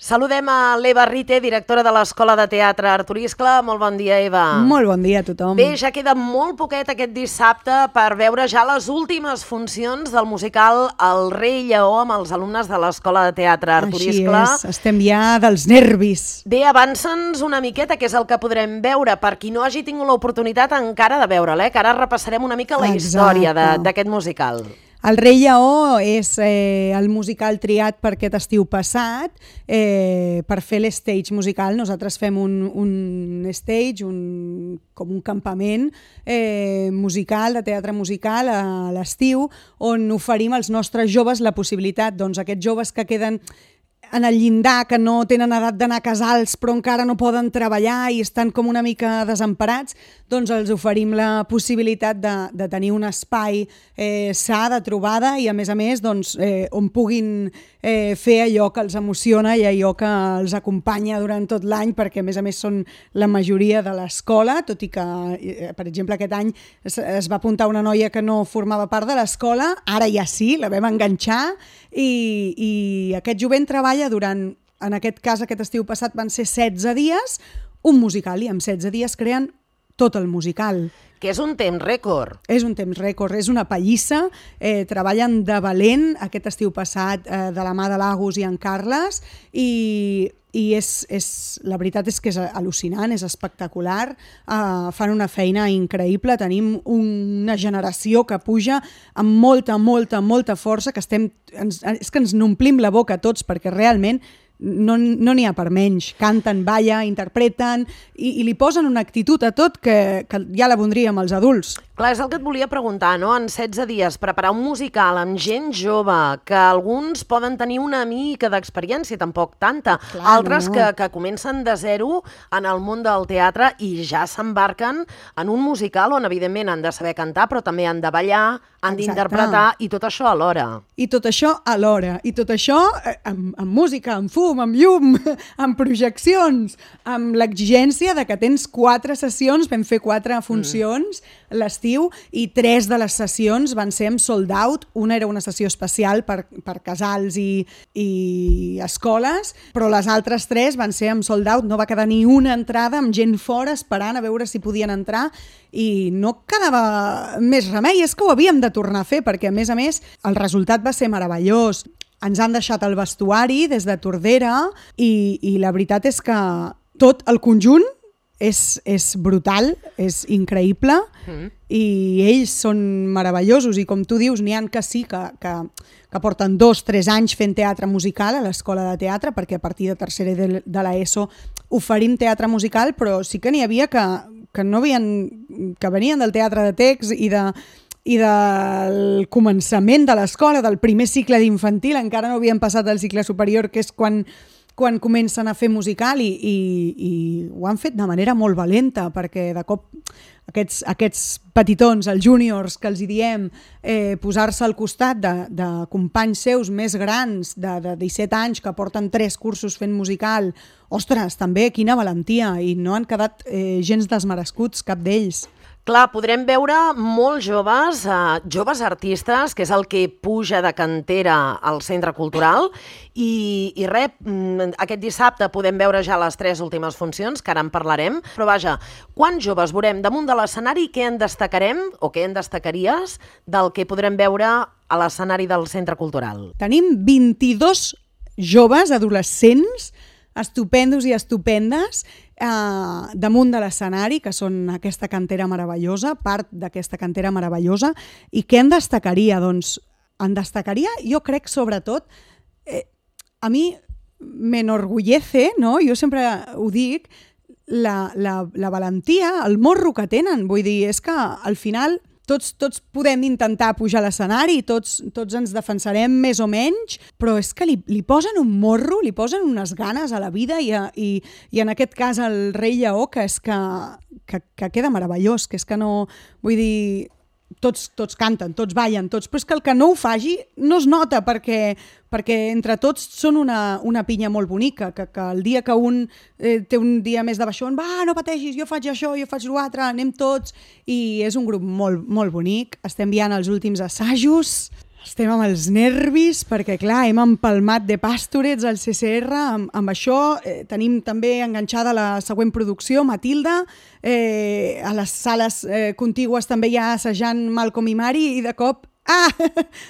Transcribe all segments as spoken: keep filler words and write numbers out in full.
Saludem a l'Eva Rite, directora de l'Escola de Teatre Artur Iscle. Molt bon dia, Eva. Molt bon dia a tothom. Bé, ja queda molt poquet aquest dissabte per veure ja les últimes funcions del musical El Rei Lleó amb els alumnes de l'Escola de Teatre Artur Iscle. Així és, estem ja dels nervis. Bé, avança'ns una miqueta, què és el que podrem veure, per qui no hagi tingut l'oportunitat encara de veure'l, eh? Que ara repassarem una mica la Exacte. història d'aquest musical. El Rei Lleó és eh, el musical triat per aquest estiu passat eh, per fer l'stage musical. Nosaltres fem un, un stage, un, com un campament eh, musical, de teatre musical a l'estiu, on oferim als nostres joves la possibilitat, doncs aquests joves que queden en el llindar, que no tenen edat d'anar a casals però encara no poden treballar i estan com una mica desemparats, doncs els oferim la possibilitat de, de tenir un espai eh, sa de trobada i a més a més doncs, eh, on puguin eh, fer allò que els emociona i allò que els acompanya durant tot l'any, perquè a més a més són la majoria de l'escola, tot i que, eh, per exemple, aquest any es, es va apuntar una noia que no formava part de l'escola, ara ja sí, la vam enganxar i, i aquest jovent treballa durant, en aquest cas aquest estiu passat van ser setze dies, un musical, i en setze dies creen tot el musical. Que és un temps rècord. És un temps rècord, és una pallissa, eh, treballen de valent aquest estiu passat eh, de la mà de l'Agus i en Carles i, i és, és, la veritat és que és al·lucinant, és espectacular, eh, fan una feina increïble, tenim una generació que puja amb molta, molta, molta força, que estem, ens, és que ens n'omplim la boca tots perquè realment no no n'hi ha per menys, canten, ballen, interpreten i, i li posen una actitud a tot que, que ja la voldríem els adults. Clar, és el que et volia preguntar, no? En setze dies, preparar un musical amb gent jove, que alguns poden tenir una mica d'experiència, tampoc tanta, Clar, altres no. que, que comencen de zero en el món del teatre i ja s'embarquen en un musical on evidentment han de saber cantar, però també han de ballar, han d'interpretar i tot això alhora. I tot això alhora, i tot això eh, amb, amb música, amb fum, amb llum, amb projeccions, amb l'exigència de que tens quatre sessions, vam fer quatre funcions mm. l'estiu, i tres de les sessions van ser amb sold out, una era una sessió especial per, per casals i, i escoles, però les altres tres van ser amb sold out, no va quedar ni una entrada, amb gent fora esperant a veure si podien entrar, i no quedava més remei, és que ho havíem de tornar a fer, perquè a més a més el resultat va ser meravellós. Ens han deixat el vestuari des de Tordera i, i la veritat és que tot el conjunt és, és brutal, és increïble mm. i ells són meravellosos i com tu dius, n'hi ha que sí, que, que, que porten dos, tres anys fent teatre musical a l'escola de teatre, perquè a partir de tercera de, de l'ESO oferim teatre musical, però sí que n'hi havia que, que, no havien, que venien del teatre de text i de... i del començament de l'escola, del primer cicle d'infantil, encara no havien passat al cicle superior, que és quan, quan comencen a fer musical i, i, i ho han fet de manera molt valenta, perquè de cop aquests, aquests petitons, els júniors, que els hi diem, eh, posar-se al costat de, de companys seus més grans, de, de disset anys, que porten tres cursos fent musical, ostres, també quina valentia, i no han quedat eh, gens desmerescuts, cap d'ells. Clar, podrem veure molts joves, eh, joves artistes, que és el que puja de cantera al Centre Cultural, i, i res, aquest dissabte podem veure ja les tres últimes funcions, que ara en parlarem, però vaja, quants joves veurem damunt de l'escenari, què en destacarem, o què en destacaries, del que podrem veure a l'escenari del Centre Cultural? Tenim vint-i-dos joves, adolescents, estupendos i estupendes, eh, damunt de l'escenari, que són aquesta cantera meravellosa, part d'aquesta cantera meravellosa, i què en destacaria? Doncs en destacaria, jo crec, sobretot, eh, a mi m'enorgullece, no? Jo sempre ho dic, la, la, la valentia, el morro que tenen, vull dir, és que al final... Tots, tots podem intentar pujar a l'escenari, tots, tots ens defensarem més o menys, però és que li, li posen un morro, li posen unes ganes a la vida i, a, i, i en aquest cas el Rei Lleó, que és que, que, que queda meravellós, que és que no... Vull dir, tots, tots canten, tots ballen, tots, però és que el que no ho faci no es nota perquè, perquè entre tots són una, una pinya molt bonica, que, que el dia que un eh, té un dia més de baixón, va, no pateixis, jo faig això, jo faig l'altre, anem tots, i és un grup molt, molt bonic, estem enviant els últims assajos, Estem amb els nervis perquè, clar, hem empalmat de Pastorets al C C R. Amb, amb això eh, tenim també enganxada la següent producció, Matilda. Eh, a les sales eh, contigües també ja assajant Malcolm i Mary i de cop ah,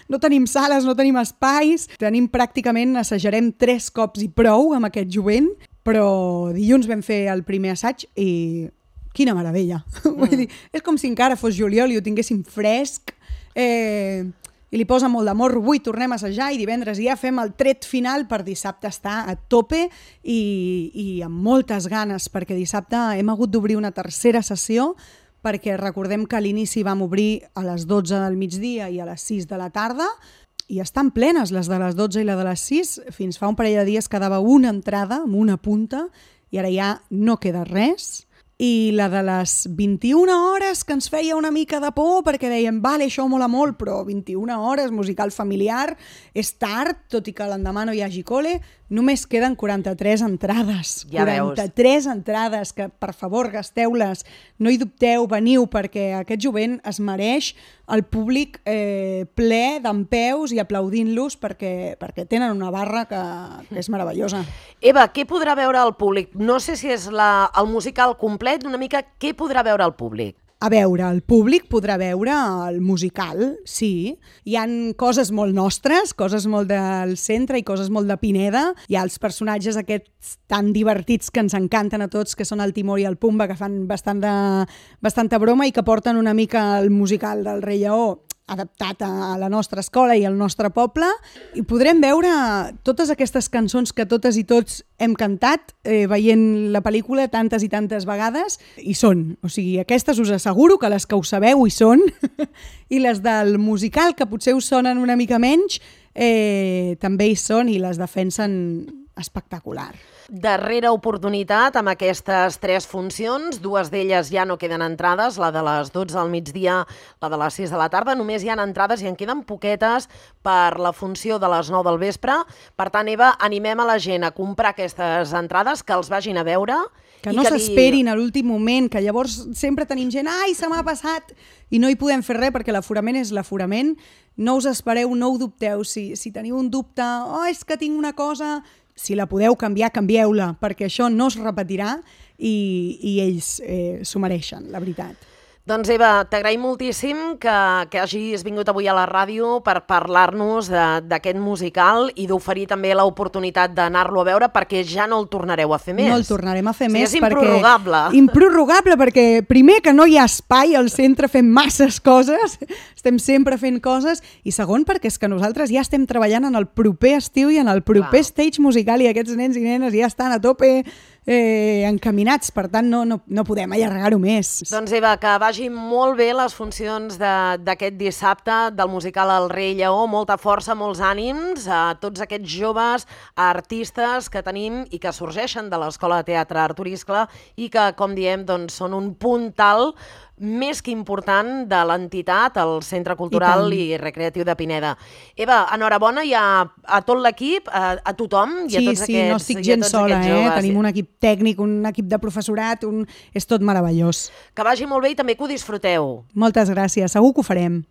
no tenim sales, no tenim espais. Tenim pràcticament, assajarem tres cops i prou amb aquest jovent, però dilluns vam fer el primer assaig i quina meravella. Mm. Vull dir, és com si encara fos juliol i ho tinguéssim fresc. Eh, i li posa molt d'amor. Avui tornem a assajar i divendres ja fem el tret final per dissabte estar a tope i, i amb moltes ganes, perquè dissabte hem hagut d'obrir una tercera sessió perquè recordem que a l'inici vam obrir a les dotze del migdia i a les sis de la tarda i estan plenes les de les dotze i la de les sis. Fins fa un parell de dies quedava una entrada amb una punta i ara ja no queda res. I la de les vint-i-una hores, que ens feia una mica de por, perquè dèiem, vale, això mola molt, però vint-i-una hores, musical familiar, és tard, tot i que l'endemà no hi hagi cole, només queden quaranta-tres entrades. Ja quaranta-tres veus. Entrades, que per favor gasteu-les, no hi dubteu, veniu, perquè aquest jovent es mereix el públic eh, ple d'empeus i aplaudint-los perquè, perquè tenen una barra que, que és meravellosa. Eva, què podrà veure el públic? No sé si és la, el musical complet, una mica què podrà veure el públic? A veure, el públic podrà veure el musical, sí. Hi han coses molt nostres, coses molt del centre i coses molt de Pineda. Hi ha els personatges aquests tan divertits que ens encanten a tots, que són el Timó i el Pumba, que fan bastant de, bastanta broma i que porten una mica el musical del Rei Lleó adaptat a la nostra escola i al nostre poble, i podrem veure totes aquestes cançons que totes i tots hem cantat eh, veient la pel·lícula tantes i tantes vegades, hi són. O sigui, aquestes us asseguro que les que ho sabeu hi són, i les del musical, que potser us sonen una mica menys, eh, també hi són i les defensen espectacular. Darrera oportunitat amb aquestes tres funcions, dues d'elles ja no queden entrades, la de les dotze al migdia, la de les sis de la tarda, només hi ha entrades i en queden poquetes per la funció de les nou del vespre. Per tant, Eva, animem a la gent a comprar aquestes entrades, que els vagin a veure. Que no s'esperin a l'últim moment, que llavors sempre tenim gent, ai, se m'ha passat, i no hi podem fer res perquè l'aforament és l'aforament. No us espereu, no ho dubteu. Si, si teniu un dubte, oh, és que tinc una cosa... Si la podeu canviar, canvieu-la, perquè això no es repetirà i, i ells eh, s'ho mereixen, la veritat. Doncs Eva, t'agraïm moltíssim que, que hagis vingut avui a la ràdio per parlar-nos d'aquest musical i d'oferir també l'oportunitat d'anar-lo a veure, perquè ja no el tornareu a fer més. No el tornarem a fer o sigui, més és improrrogable. Perquè... Improrrogable, perquè primer que no hi ha espai al centre fent masses coses, estem sempre fent coses, i segon perquè és que nosaltres ja estem treballant en el proper estiu i en el proper Clar. Stage musical, i aquests nens i nenes ja estan a tope eh, encaminats, per tant no, no, no podem allargar-ho més. Doncs Eva, que vagi molt bé les funcions d'aquest dissabte del musical El Rei Lleó, molta força, molts ànims a tots aquests joves artistes que tenim i que sorgeixen de l'Escola de Teatre Artur Iscle i que, com diem, doncs, són un puntal més que important de l'entitat, el Centre Cultural I, I Recreatiu de Pineda. Eva, enhorabona ja a tot l'equip, a, a tothom i a sí, tots sí, aquests no estic gens sola, eh? Tenim un equip tècnic, un equip de professorat, un... és tot meravellós. Que vagi molt bé i també que ho disfruteu. Moltes gràcies, segur que ho farem.